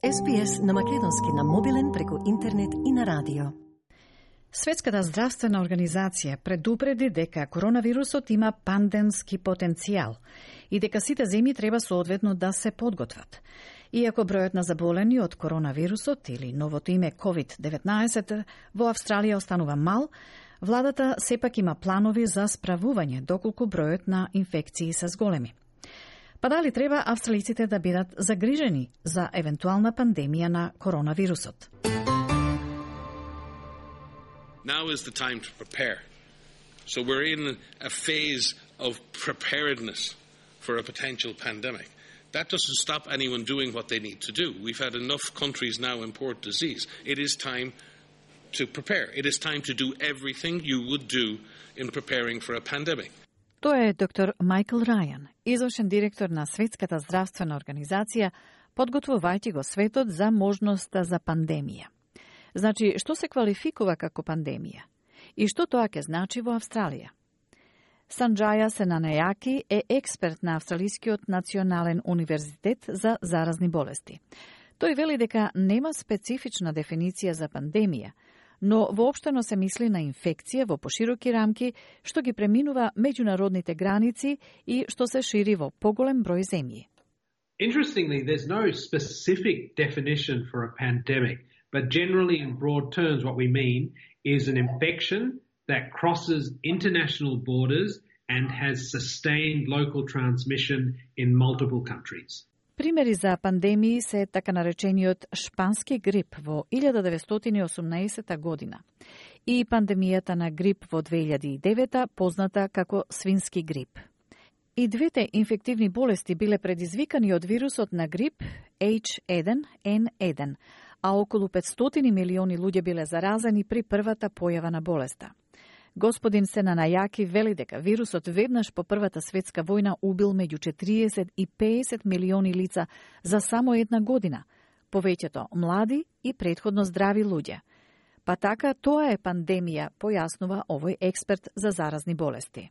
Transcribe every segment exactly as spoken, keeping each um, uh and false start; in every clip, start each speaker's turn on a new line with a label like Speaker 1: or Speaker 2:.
Speaker 1: Ес Би Ес на македонски на мобилен преку интернет и на радио. Светската здравствена организација предупреди дека коронавирусот има пандемски потенцијал и дека сите земји треба соодветно да се подготват. Иако бројот на заболени од коронавирусот или новото име ковид деветнаесет во Австралија останува мал, владата сепак има планови за справување доколку бројот на инфекции се зголеми. Па дали треба австралиците да бидат загрижени за евентуална пандемија на коронавирусот?
Speaker 2: Now is the time to prepare. So we're in a phase of preparedness for a potential pandemic. That doesn't stop anyone doing what they need to do. We've had enough countries now import disease. It is time to prepare. It is time to do everything you would do in preparing for a pandemic.
Speaker 1: Тоа е доктор Майкл Рајан, извршен директор на Светската здравствена организација, подготвувајќи го светот за можноста за пандемија. Значи, што се квалификува како пандемија? И што тоа ќе значи во Австралија? Санџаја Сенанајаки е експерт на Австралискиот национален универзитет за заразни болести. Тој вели дека нема специфична дефиниција за пандемија, но воопштено се мисли на инфекција во пошироки рамки, што ги преминува меѓународните граници и што се шири во поголем број земји.
Speaker 3: Interestingly, there's no specific definition for a pandemic, but generally in broad terms what we mean is an infection that crosses international borders and has sustained local transmission in multiple countries.
Speaker 1: Примери за пандемии се така наречениот шпански грип во илјада деветстотини и осумнаесета година и пандемијата на грип во две илјади и девета, позната како свински грип. И двете инфективни болести биле предизвикани од вирусот на грип Еич еден Ен еден, а околу петстотини милиони луѓе биле заразени при првата појава на болеста. Господин Сенанајаки вели дека вирусот веднаш по Првата светска војна убил меѓу четириесет и песет милиони лица за само една година, повеќето млади и претходно здрави луѓе. Па така тоа е пандемија, појаснува овој експерт за заразни болести.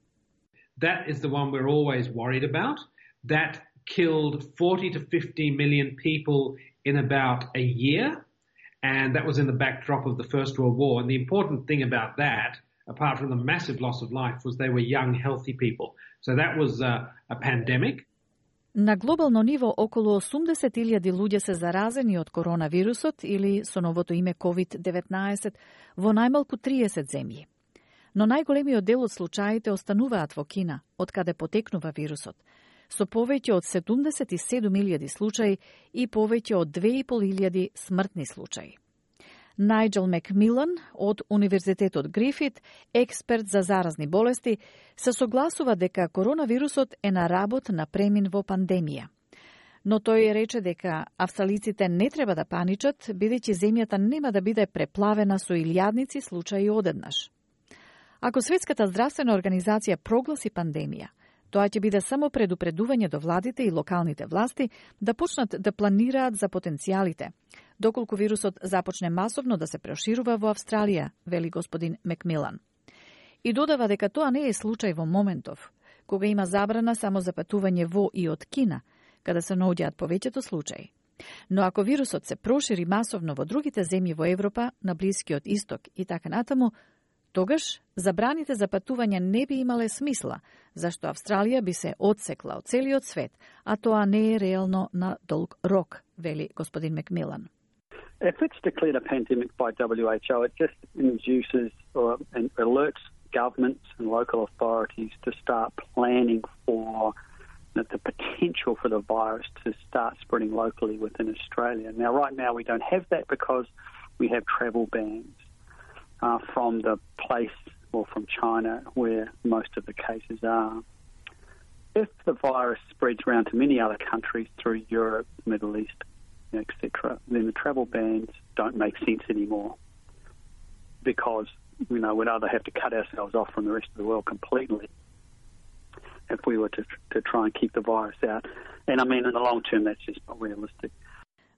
Speaker 3: That is the one we're always worried about. That killed forty to fifty million people in about a year, and that was in the backdrop of the First World War. And the important thing about that, apart from the massive loss of life, was they were young, healthy people. So that was a, a pandemic.
Speaker 1: На глобално ниво околу осумдесет илјади луѓе се заразени од коронавирусот или со новото име ковид деветнаесет во најмалку триесет земји. Но најголемиот дел од случаите остануваат во Кина, од каде потекнува вирусот, со повеќе од седумдесет и седум илјади случаи и повеќе од две и пол илјади смртни случаи. Најджел Макмилан од Универзитетот Грифит, експерт за заразни болести, се согласува дека коронавирусот е на работ на премин во пандемија. Но тој рече дека австралиците не треба да паничат, бидејќи земјата нема да биде преплавена со илјадници случаи одеднаш. Ако Светската здравствена организација прогласи пандемија, тоа ќе биде само предупредување до владите и локалните власти да почнат да планираат за потенцијалите, доколку вирусот започне масовно да се проширува во Австралија, вели господин Макмилан. И додава дека тоа не е случај во моментов, кога има забрана само за патување во и од Кина, каде се наоѓаат повеќето случаи. Но ако вирусот се прошири масовно во другите земји во Европа, на Блискиот Исток и така натаму, тогаш забраните за патување не би имале смисла, зашто Австралија би се одсекла од целиот свет, а тоа не е реално на долг рок, вели господин Макмилан.
Speaker 4: If it's declared a pandemic by W H O, it just induces or and alerts governments and local authorities to start planning for the potential for the virus to start spreading locally within Australia. Now, right now, we don't have that because we have travel bans uh, from the place or from China where most of the cases are. If the virus spreads around to many other countries through Europe, Middle East, et cetera, then the travel bans don't make sense anymore because, you know, we'd either have to cut ourselves off from the rest of the world completely if we were to, to try and keep the virus out. And I mean, in the long term, that's just not realistic.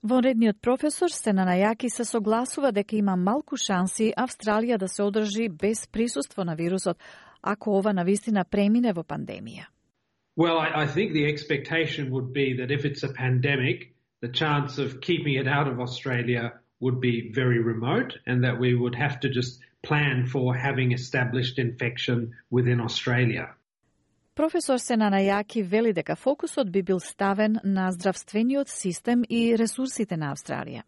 Speaker 1: Вонредниот професор Сенанајаки се согласува дека има малку шанси Австралија да се одржи без присуство на вирусот, ако ова навистина премине во пандемија.
Speaker 3: Well, I, I think the expectation would be that if it's a pandemic, the chance of keeping it out of Australia would be very remote, and that we would have to just plan for having established infection within Australia.
Speaker 1: Професор Сенанајаки вели дека фокусот би бил ставен на здравствениот систем и ресурсите на Австралија.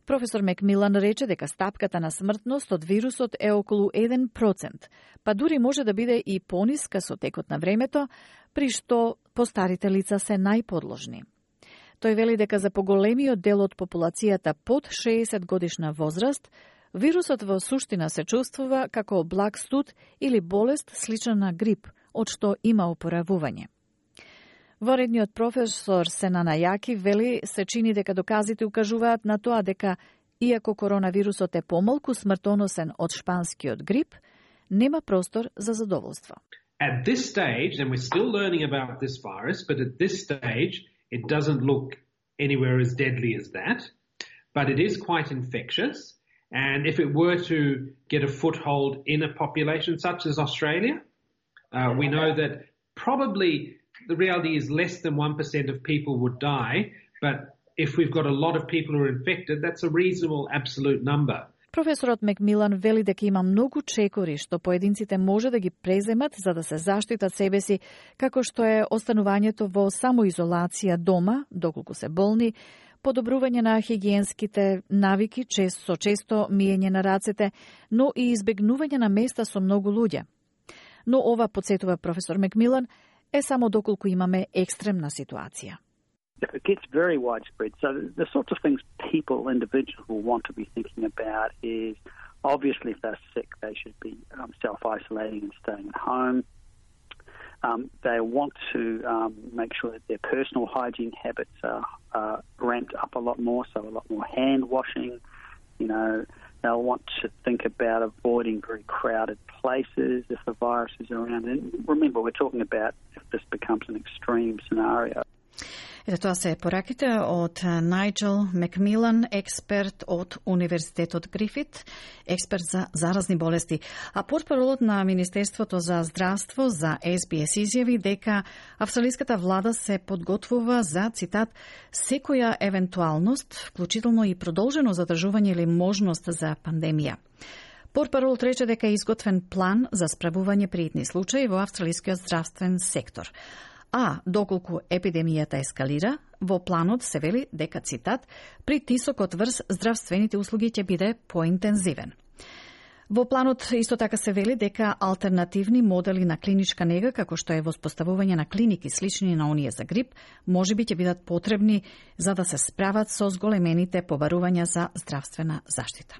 Speaker 1: Професор Макмилан рече дека стапката на смртност од вирусот е околу еден процент, па дури може да биде и пониска со текот на времето, при што постарите лица се најподложни. Тој вели дека за поголемиот дел од популацијата под шеесет годишна возраст, вирусот во суштина се чувствува како благ студ или болест слична на грип, од што има опоравување. Воредниот професор Сенанајаки вели се чини дека доказите укажуваат на тоа дека, иако коронавирусот е помалку смртоносен од шпанскиот грип, нема простор за задоволство.
Speaker 3: At this stage, and we're still learning about this virus, but at this stage, it doesn't look anywhere as deadly as that, but it is quite infectious. And if it were to get a foothold in a population such as Australia, uh, we know that probably the reality is less than one percent of people would die, but if we've got a lot of people who are infected, that's a reasonable absolute number.
Speaker 1: Професорот Макмилан вели дека има многу чекори што поединците може да ги преземат за да се заштитат себе си, како што е останувањето во самоизолација дома, доколку се болни, подобрување на хигиенските навики, често со често миење на рацете, но и избегнување на места со многу луѓе. Но ова, подсетува професор Макмилан, е само доколку имаме екстремна ситуација.
Speaker 4: It gets very widespread. So the sorts of things people, individuals, will want to be thinking about is, obviously, if they're sick, they should be um, self-isolating and staying at home. Um, they want to um, make sure that their personal hygiene habits are uh, ramped up a lot more, so a lot more hand washing. You know, they'll want to think about avoiding very crowded places if the virus is around. And remember, we're talking about if this becomes an extreme scenario.
Speaker 1: Ето тоа се пораките од Најджел Макмилан, експерт од Универзитетот Грифит, експерт за заразни болести. А портпаролот на Министерството за здравство за Ес Би Ес изјави дека австралиската влада се подготвува за, цитат, секоја евентуалност, вклучително и продолжено задржување или можност за пандемија. Портпаролот рече дека е изготвен план за справување при итни случаи во австралискиот здравствен сектор. А, доколку епидемијата ескалира, во планот се вели дека, цитат, притисокот врз здравствените услуги ќе биде поинтензивен. Во планот исто така се вели дека алтернативни модели на клиничка нега, како што е воспоставување на клиники слични на оние за грип, можеби ќе бидат потребни за да се справат со зголемените побарувања за здравствена заштита.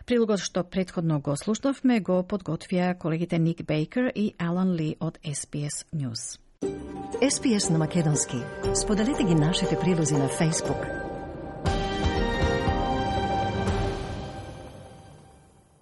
Speaker 1: Прилогот што претходно го слушнавме го подготвија колегите Ник Бейкер и Алан Ли од Ес Би Ес News.
Speaker 5: Ес Би Ес на македонски. Споделете ги нашите прилози на Facebook.